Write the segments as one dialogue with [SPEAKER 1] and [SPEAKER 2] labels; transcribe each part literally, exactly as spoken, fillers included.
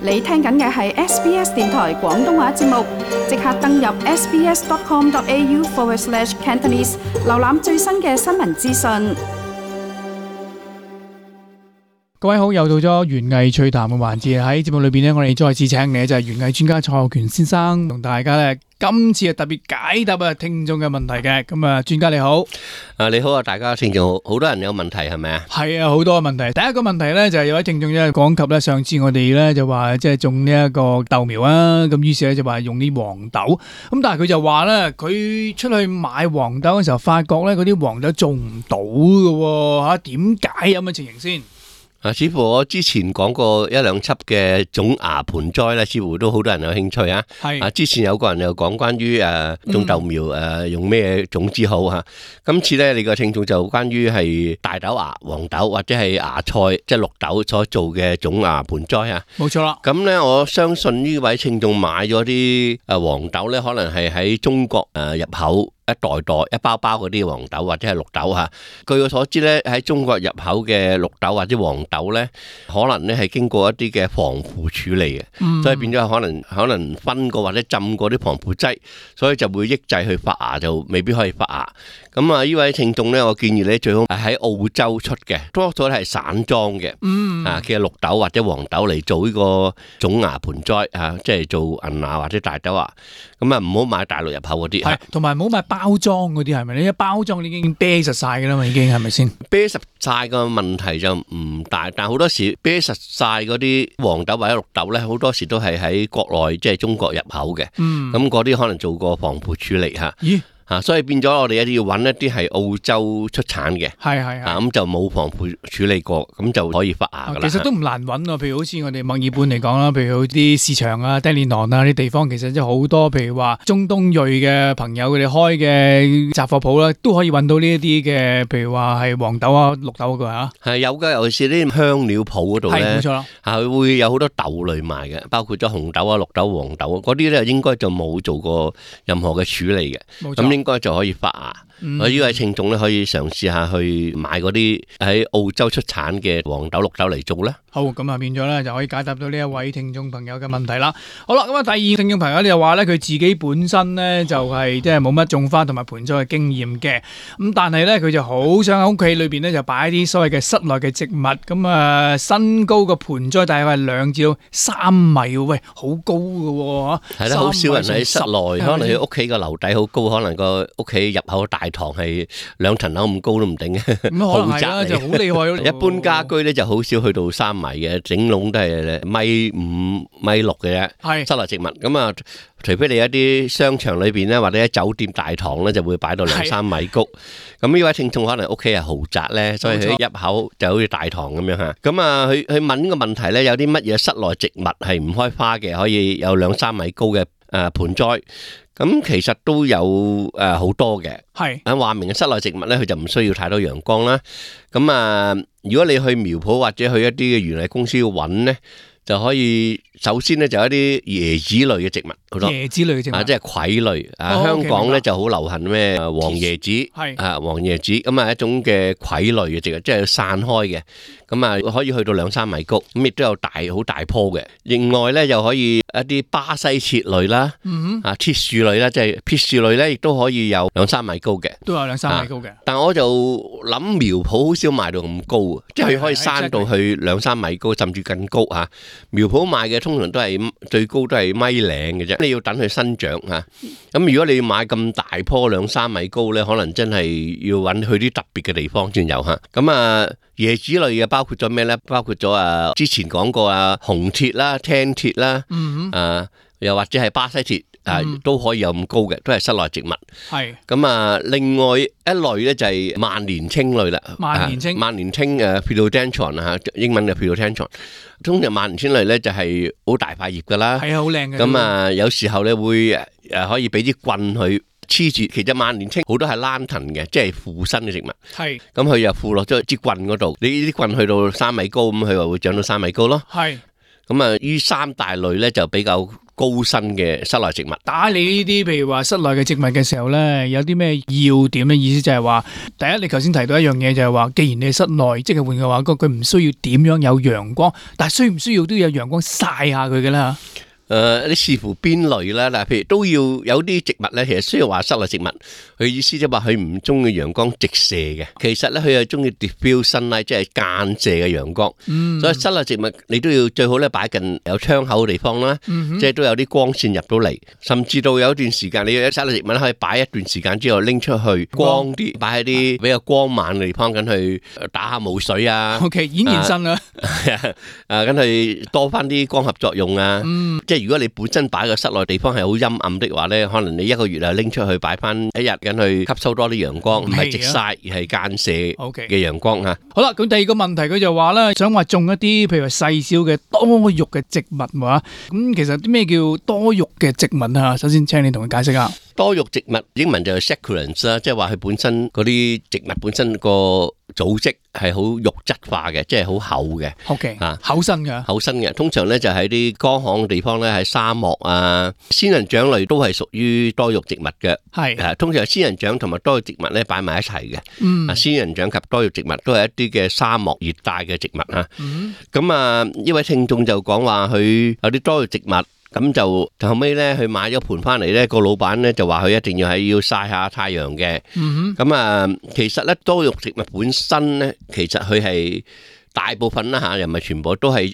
[SPEAKER 1] 你聽緊嘅係 S B S 電台廣東話節目，即刻登入 sbs.com.au forward slash Cantonese， 瀏覽最新嘅新聞資訊。
[SPEAKER 2] 各位好，又到咗園藝趣談嘅環節。喺節目裏邊呢，我哋再次請嚟就係園藝專家蔡浩權先生，同大家咧今次係特別解答啊聽眾嘅問題嘅。咁啊，專家你好。
[SPEAKER 3] 啊，你好啊，大家聽眾好，好多人有問題係咪啊？
[SPEAKER 2] 係啊，好多問題。第一個問題咧就係有位聽眾咧講及咧，上次我哋咧就話即係種呢一個豆苗啊，咁於是咧就話用啲黃豆，咁但係佢就話咧，佢出去買黃豆嘅時候，發覺咧嗰啲黃豆種唔到嘅，吓，點解有咁嘅情形先？
[SPEAKER 3] 啊，似乎我之前講過一兩輯嘅種芽盆栽咧，似乎都好多人有興趣啊。係啊，之前有個人又講關於誒種豆苗誒、嗯、用咩種子好吓。今次咧，你個聽眾就關於係大豆芽、黃豆或者係芽菜，即係綠豆所做嘅種芽盆栽啊。
[SPEAKER 2] 冇錯啦。咁
[SPEAKER 3] 咧，我相信呢位聽眾買咗啲誒黃豆咧，可能係喺中國誒入口。一袋袋一包包嗰啲黃豆或者係綠豆吓，據我所知咧，喺中國入口嘅綠豆或者黃豆咧，可能咧係經過一啲嘅防腐處理嘅，嗯、所以變咗可能可能分過或者浸過啲防腐劑，所以就會抑制去發芽，就未必可以發芽。咁啊，呢位聽眾咧，我建議你最好喺澳洲出嘅，多數係散裝嘅，嗯、啊嘅綠豆或者黃豆嚟做呢個種芽盆栽啊，即係做銀芽或者大豆芽。咁啊，唔好買大陸入口嗰啲，
[SPEAKER 2] 係同埋唔好買包裝嗰啲，係咪？你一包裝你已經啤實晒噶啦嘛，已經係咪先？
[SPEAKER 3] 啤實晒個問題就唔大，但係好多時啤實晒嗰啲黃豆或者綠豆咧，好多時都係喺國內即係中國入口嘅，咁嗰啲可能做過防腐處理吓。咦？啊，所以變咗我哋一定要揾一啲係澳洲出產嘅，係係係，咁就冇防腐處理過，咁就可以發芽噶啦。
[SPEAKER 2] 其實都唔難揾啊，譬如好似我哋墨爾本嚟講啦，譬如啲市場啊、爹連囊啊啲地方，其實真係好多，譬如話中東裔嘅朋友佢哋開嘅雜貨鋪啦，都可以揾到呢一啲嘅，譬如話係黃豆啊、綠豆嗰個嚇。係
[SPEAKER 3] 有㗎，尤其是啲香料鋪嗰度咧，
[SPEAKER 2] 係冇錯啦，
[SPEAKER 3] 係會有好多豆類賣嘅，包括咗紅豆啊、綠豆、黃豆嗰啲咧，應該就冇做過任何嘅處理嘅，咁應該就可以發芽。嗯、我呢位聽眾咧可以嘗試下去買嗰啲喺澳洲出產嘅黃豆、綠豆嚟做咧。
[SPEAKER 2] 好，咁啊變咗咧就可以解答到呢一位聽眾朋友嘅問題啦。好啦，咁啊第二聽眾朋友咧就話咧佢自己本身咧就係即係冇乜種花同埋盆栽嘅經驗嘅，咁但係咧佢就好想喺屋企裏邊咧就擺一啲所謂嘅室內嘅植物，咁啊身高嘅盆栽大概係兩至到三米，喂，好高噶吓。
[SPEAKER 3] 係啦，好少人喺室內，可能佢屋企個樓底好高，可能個屋企入口大堂係兩層樓咁高都唔定嘅，豪宅
[SPEAKER 2] 就好厲害咯。
[SPEAKER 3] 一般家居咧就好少去到三米嘅，整籠都係米五米六嘅啫。係室內植物咁啊，除非你一啲商場裏邊咧，或者喺酒店大堂咧，就會擺到兩三米高。咁呢位聽眾可能屋企係豪宅咧，所以佢入口就好似大堂咁樣吓。咁啊，佢佢問呢個問題咧，有啲乜嘢室內植物係唔開花嘅，可以有兩三米高嘅誒盆栽？咁其實都有誒好多嘅，係啊，話明嘅室內植物咧，佢就唔需要太多陽光啦。咁啊，如果你去苗圃或者去一啲嘅園藝公司揾咧，就可以首先咧就有一啲椰子類嘅植物，好多
[SPEAKER 2] 椰子類嘅植物，
[SPEAKER 3] 啊，即係葵類啊。香港咧就好流行咩黃椰子，係啊黃椰子，咁啊一種嘅葵類嘅植物，即係散開嘅，咁啊可以去到兩三米高，咁亦都有大好大棵嘅。另外咧又可以一啲巴西設類啦，啊鐵樹類啦，即係鐵樹類咧，亦都可以有兩三米高嘅，
[SPEAKER 2] 都有兩三米高嘅。
[SPEAKER 3] 但我就諗苗圃好少賣到咁高，即係佢可以生到去兩三米高，甚至更高吓。苗圃賣嘅通常都係最高都係米零嘅啫，你要等佢生長吓。咁如果你要買咁大棵兩三米高咧，可能真係要揾去啲特別嘅地方先有吓。咁啊椰子類嘅包括咗咩咧？包括咗啊之前講過啊紅鐵啦、青鐵啦，嗯、啊又或者係巴西鐵。啊，都可以有咁高嘅，都係室內植物。係咁啊，另外一類咧就係萬年青類啦。萬年青，萬年青誒 Philodendron 啊，英文嘅 Philodendron。通常萬年青類咧就係好大塊葉噶啦。係啊，好靚嘅。咁啊，有時候咧會誒可以俾啲棍去黐住。其實萬年青好多係蘭藤嘅，即係附生嘅植物。係。咁佢又附落咗支棍嗰度，你呢啲棍去到三米高，咁佢話會長到三米高咯。係。咁啊，呢三大類咧就比較高身嘅室內植物。
[SPEAKER 2] 打理呢啲譬如話室內嘅植物嘅時候咧，有啲咩要點咧？意思就係話，第一你頭先提到一樣嘢就係話，既然你係室內，即係換嘅話，佢唔需要點樣有陽光，但係需唔需要都要有陽光曬下佢嘅啦？
[SPEAKER 3] 誒，你視乎邊類啦，嗱，譬如都要有啲植物咧，其實雖然話室內植物，佢意思即係話佢唔中意陽光直射嘅，其實咧佢係中意 diffuse sunlight，即係間射嘅陽光。嗯，所以室內植物你都要最好咧擺近有窗口嘅地方啦，嗯、即係都有啲光線入到嚟，甚至到有一段時間你有室內植物可以擺一段時間之後拎出去光啲，擺喺啲比較光猛嘅地方，咁去打下霧水啊。
[SPEAKER 2] O K， 演現身啦，
[SPEAKER 3] 啊，咁去多翻啲光合作用啊。嗯，即係如果你本身擺個室內地方係好陰暗的話咧，可能你一個月啊拎出去擺翻一日，咁去吸收多啲陽光，唔係直曬，而係間射嘅陽光嚇。
[SPEAKER 2] 好啦，咁第二個問題佢就話咧，想話種一啲譬如話細小嘅多肉嘅植物喎。咁其實啲咩叫多肉嘅植物啊？首先請你同佢解釋下。
[SPEAKER 3] 多肉植物英文就係 succulents 啦，即係話佢本身嗰啲植物本身個組織係好肉質化嘅，即係好厚嘅。
[SPEAKER 2] OK，啊，厚身嘅，
[SPEAKER 3] 厚身嘅。通常咧就喺啲乾旱嘅地方咧，喺沙漠啊，仙人掌類都係屬於多肉植物嘅。係啊，通常仙人掌同埋多肉植物咧擺埋一齊嘅。嗯，啊，仙人掌及多肉植物都係一啲嘅沙漠熱帶嘅植物啊。嗯，咁啊，呢位聽眾就講話佢有啲多肉植物。咁就後尾咧，佢買咗盆翻嚟咧，個老闆咧就話佢一定要係要曬下太陽嘅。咁啊，其實咧多肉植物本身咧，其實佢係大部分啦嚇，又唔係全部都係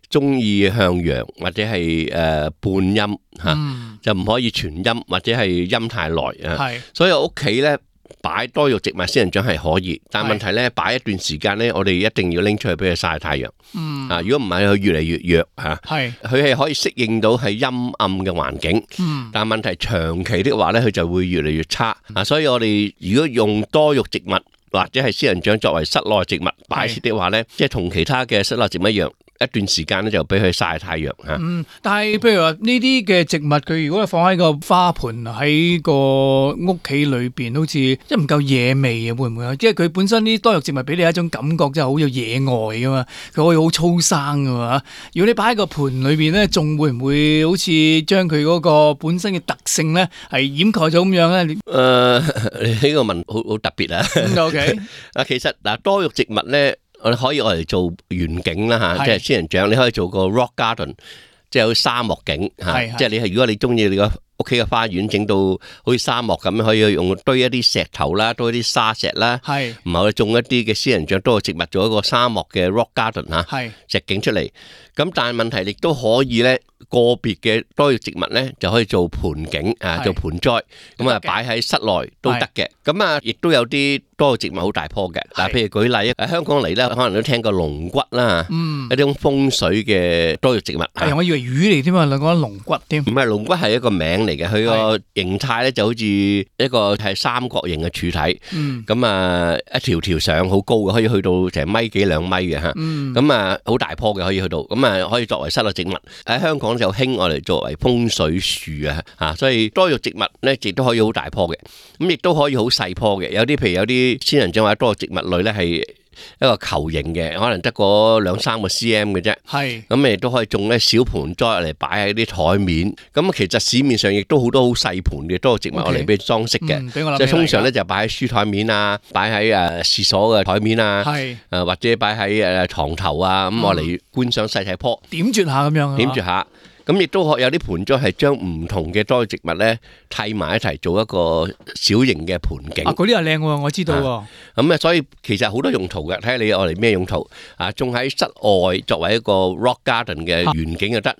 [SPEAKER 3] 中意向陽或者係誒半陰嚇，就唔可以全陰或者係陰太耐啊。所以屋企咧擺多肉植物仙人掌係可以，但係問題咧擺一段時間咧，我哋一定要拎出去俾佢曬太陽。嗯，啊，如果唔係佢越嚟越弱嚇。係，佢係可以適應到係陰暗嘅環境。嗯，但係問題長期的話咧，佢就會越嚟越差。啊，所以我哋如果用多肉植物或者係仙人掌作為室內植物擺設的話咧，即係同其他嘅室內植物一樣。一段時間咧就俾佢曬太陽嚇。嗯，
[SPEAKER 2] 但係譬如話呢啲嘅植物，佢如果放喺個花盆喺個屋企裏邊，好似即係唔夠野味啊？會唔會啊？即係佢本身啲多肉植物俾你一種感覺，真係好有野外噶嘛。佢可以好粗生噶嘛。如果你擺喺個盆裏邊咧，仲會唔會好似將佢嗰個本身嘅特性咧係掩蓋咗咁樣咧？
[SPEAKER 3] 誒，呢個問好好特別啊。
[SPEAKER 2] O K，
[SPEAKER 3] 啊，其實嗱多肉植物咧。我哋可以我嚟做園景啦嚇，即係仙人掌，你可以做個 rock garden，即係有沙漠景嚇，即係你係如果你中意你個屋企嘅花園整到好似沙漠咁，可以用堆一啲石頭啦，堆一啲沙石啦，係，唔係種一啲嘅仙人掌多嘅植物，做一個沙漠嘅 rock garden 嚇，係石景出嚟。咁但係問題亦都可以咧，個別嘅多肉植物咧就可以做盆景啊，做盆栽，咁啊擺喺室內都得嘅。咁啊，亦都有啲多肉植物好大棵嘅。嗱，譬如舉例喺香港嚟咧，可能都聽過龍骨啦，嗯，一種風水嘅多肉植物。
[SPEAKER 2] 係，我以為魚嚟添啊，你講龍骨添。唔
[SPEAKER 3] 係，龍骨係一個名嚟嘅，佢個形態咧就好似一個係三角形嘅柱體。嗯。咁啊，一條條上好高嘅，可以去到成米幾兩米嘅嚇。嗯。咁啊，好大棵嘅可以去到，咁啊可以作為室內植物。喺香港就興我哋作為風水樹啊，嚇，所以多肉植物咧亦都可以好大棵嘅，咁亦都可以好細棵嘅。有啲譬如有啲仙人掌或者多肉植物類咧係一個球形嘅，可能得個兩三個 cm 嘅啫。係，咁亦都可以種咧小盆栽嚟擺喺啲台面。咁其實市面上亦都好多好細盆嘅多肉植物嚟俾裝飾嘅，即係通常咧就擺喺書台面啊，擺喺誒廁所嘅台面啊，係誒或者擺喺誒牀頭啊，咁我嚟觀賞細細棵，
[SPEAKER 2] 點綴下咁樣，
[SPEAKER 3] 點綴下。咁亦都有啲盆栽係將唔同嘅多肉植物咧砌埋一齊做一個小型嘅盆景。
[SPEAKER 2] 啊，嗰啲又靚喎，我知道喎。
[SPEAKER 3] 咁啊，所以其實好多用途嘅，睇下你我嚟咩用途啊？種喺室外作為一個 rock garden 嘅園景又得，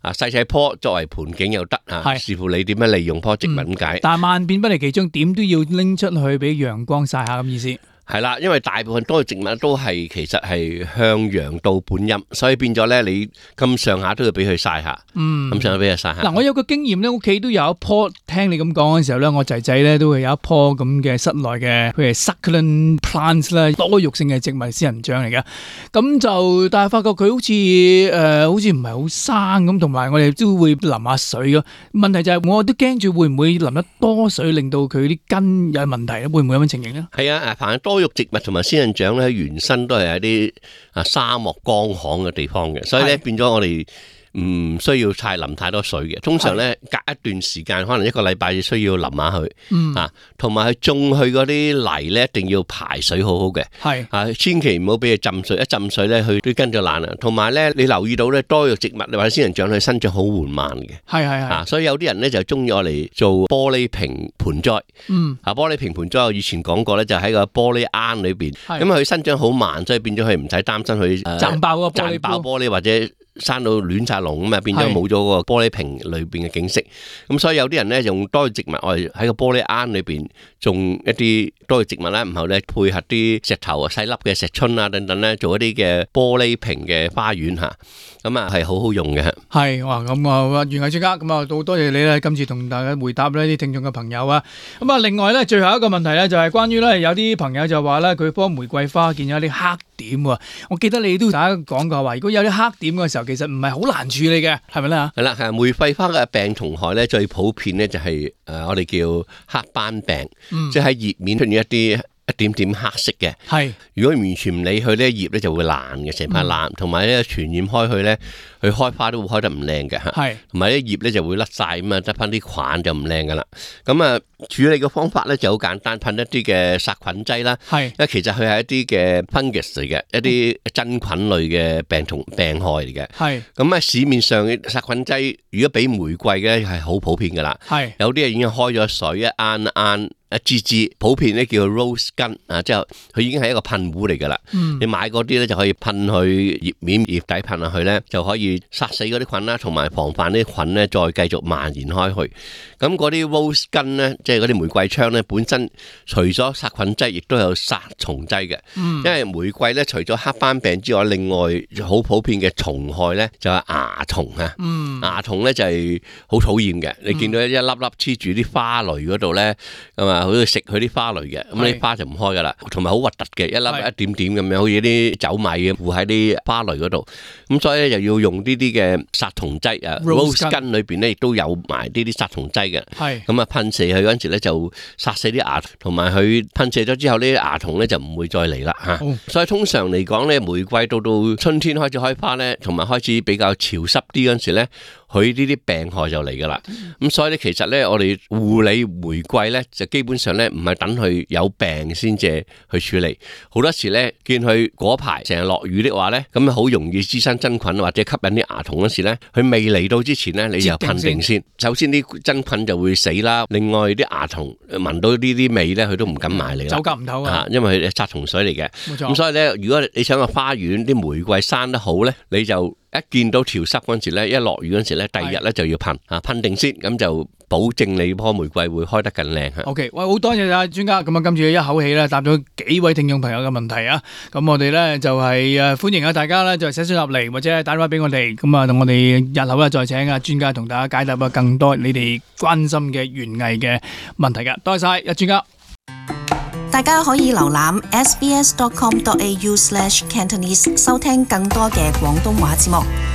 [SPEAKER 3] 啊細細棵作為盆景又得啊，視乎你點樣利用棵植物咁解。
[SPEAKER 2] 但係萬變不離其宗，點都要拎出去俾陽光曬下咁意思。
[SPEAKER 3] 係啦，因為大部分多肉植物都係其實係向陽到半陰，所以變咗咧，你咁上下都要俾佢曬下，嗯，咁上下俾佢曬下。
[SPEAKER 2] 嗱，我有個經驗咧，屋企都有一棵，聽你咁講嘅時候咧，我仔仔咧都會有一棵咁嘅室內嘅，譬如 succulent plants 啦，多肉性嘅植物仙人掌嚟嘅。咁就但係發覺佢好似誒、呃，好似唔係好生咁，同埋我哋都會淋下水咯。問題就係我都驚住會唔會淋得多水，令到佢啲根有問題咧？會唔會有咁嘅情形咧？
[SPEAKER 3] 係啊，凡係多肉植物同埋仙人掌咧，原身都係喺啲啊沙漠乾旱嘅地方嘅，所以咧變咗我哋唔需要太淋太多水嘅。通常咧隔一段時間，可能一個禮拜需要淋下佢，
[SPEAKER 2] 嗯
[SPEAKER 3] 啊，同埋佢種去嗰啲泥咧一定要排水好好嘅，
[SPEAKER 2] 係
[SPEAKER 3] 啊，千祈唔好俾佢浸水，一浸水咧佢啲根就爛啦。同埋咧，你留意到咧多肉植物或者仙人掌佢生長好緩慢嘅，
[SPEAKER 2] 係係係，
[SPEAKER 3] 啊，所以有啲人咧就中意我嚟做玻璃瓶盆栽，
[SPEAKER 2] 嗯，
[SPEAKER 3] 啊，玻璃瓶盆栽我以前講過咧，就喺個玻璃罌裏邊，
[SPEAKER 2] 係
[SPEAKER 3] 咁佢生長好慢，所以變咗佢唔使擔心佢誒
[SPEAKER 2] 賺爆個玻璃
[SPEAKER 3] 賺爆
[SPEAKER 2] 煲，
[SPEAKER 3] 玻璃或者生到亂晒龍咁啊，變咗
[SPEAKER 2] 係
[SPEAKER 3] 冇咗個玻璃瓶裏邊嘅景色。咁所以有啲人咧用多肉植物，我哋喺個玻璃罌裏邊種一啲多肉植物啦，然後咧配合啲石頭啊、細粒嘅石春啊等等咧，做一啲嘅玻璃瓶嘅花園嚇，咁啊係好好用嘅。
[SPEAKER 2] 係哇，咁啊園藝專家，咁啊好多謝你咧，今次同大家回答呢啲聽眾嘅朋友啊。咁啊，另外咧最後一個問題咧就係關於咧有啲朋友就話咧佢棵玫瑰花見有啲黑點喎。我記得你都大家講過話，如果有啲黑點嘅時候，其實唔係好難處理嘅，係咪咧嚇？
[SPEAKER 3] 係啦，係玫瑰花嘅病蟲害咧，最普遍咧就係誒我哋叫黑斑病，
[SPEAKER 2] 嗯
[SPEAKER 3] 即係喺葉面出現一啲一點點黑色嘅。
[SPEAKER 2] 係，
[SPEAKER 3] 如果完全唔理佢咧，葉咧就會爛嘅，成塊爛，同埋咧傳染開去咧，佢開花都會開得唔靚嘅嚇。
[SPEAKER 2] 係，
[SPEAKER 3] 同埋啲葉咧就會甩晒咁啊，得翻啲菌就唔靚噶啦。咁啊，處理嘅方法咧就好簡單，噴一啲嘅殺菌劑啦。
[SPEAKER 2] 係，
[SPEAKER 3] 因為其實佢係一啲嘅 fungus 嚟嘅，一啲真菌類嘅病蟲病害嚟嘅。
[SPEAKER 2] 係，
[SPEAKER 3] 咁啊，市面上嘅殺菌劑，如果俾玫瑰嘅係好普遍噶啦。
[SPEAKER 2] 係，
[SPEAKER 3] 有啲係已經開咗水，一啱啱一支支，普遍咧叫 rose gun 啊，即係佢已經係一個噴壺嚟噶啦。
[SPEAKER 2] 嗯，
[SPEAKER 3] 你買嗰啲咧就可以噴去葉面葉底噴落去咧，就可以殺死嗰啲菌啦，同埋防範啲菌咧再繼續蔓延開去。咁嗰啲 rose gun 咧，即係嗰啲玫瑰槍咧，本身除咗殺菌劑，亦都有殺蟲劑嘅。
[SPEAKER 2] 嗯，
[SPEAKER 3] 因為玫瑰咧，除咗黑斑病之外，另外好普遍嘅蟲害咧就係蚜蟲啊。
[SPEAKER 2] 嗯，
[SPEAKER 3] 蚜蟲咧就係好討厭嘅。你見到一粒粒黐住啲花蕾嗰度咧，咁啊，好似食佢啲花蕾嘅，咁啲花就唔開噶啦，同埋好核突嘅，一粒一點點咁樣，好似啲酒米咁附喺啲花蕾嗰度。咁所以咧就要用呢啲嘅殺蟲劑啊 ，rose gun 裏邊咧亦都有埋呢啲殺蟲劑嘅。
[SPEAKER 2] 係，
[SPEAKER 3] 咁啊噴射佢嗰陣時咧就殺死啲蚜蟲，同埋佢噴射咗之後呢啲蚜蟲咧就唔會再嚟啦嚇。
[SPEAKER 2] 哦，
[SPEAKER 3] 所以通常嚟講咧，玫瑰到到春天開始開花咧，同埋開始比較潮濕啲嗰陣時咧，佢呢啲病害就嚟噶啦。咁所以咧，其實咧我哋護理玫瑰咧，就基本上咧唔係等佢有病先至去處理。好多時咧見佢嗰排成日落雨的話咧，咁好容易滋生真菌或者吸引啲蚜蟲嗰時咧，佢未嚟到之前咧，你就噴定先。首先啲真菌就會死啦，另外啲蚜蟲聞到呢啲味咧，佢都唔敢埋嚟啦。
[SPEAKER 2] 走夾唔透啊！
[SPEAKER 3] 因為佢係殺蟲水嚟嘅。
[SPEAKER 2] 冇錯。
[SPEAKER 3] 咁所以咧，如果你想個花園啲玫瑰生得好咧，你就一見到潮濕嗰陣時咧，一落雨嗰陣時咧，第二日咧就要噴啊，噴定先，咁就保證你棵玫瑰會開得更靚嚇。
[SPEAKER 2] OK，喂，好多謝啊專家，咁啊今次一口氣咧答咗幾位聽眾朋友嘅問題啊，咁我哋咧就係誒歡迎啊大家咧就寫信入嚟或者打電話俾我哋，咁啊同我哋日後咧再請啊專家同大家解答啊更多你哋關心嘅園藝嘅問題㗎，多謝晒啊專家。
[SPEAKER 4] 大家可以瀏覽 s b s dot com dot a u slash cantonese 收聽更多嘅廣東話節目。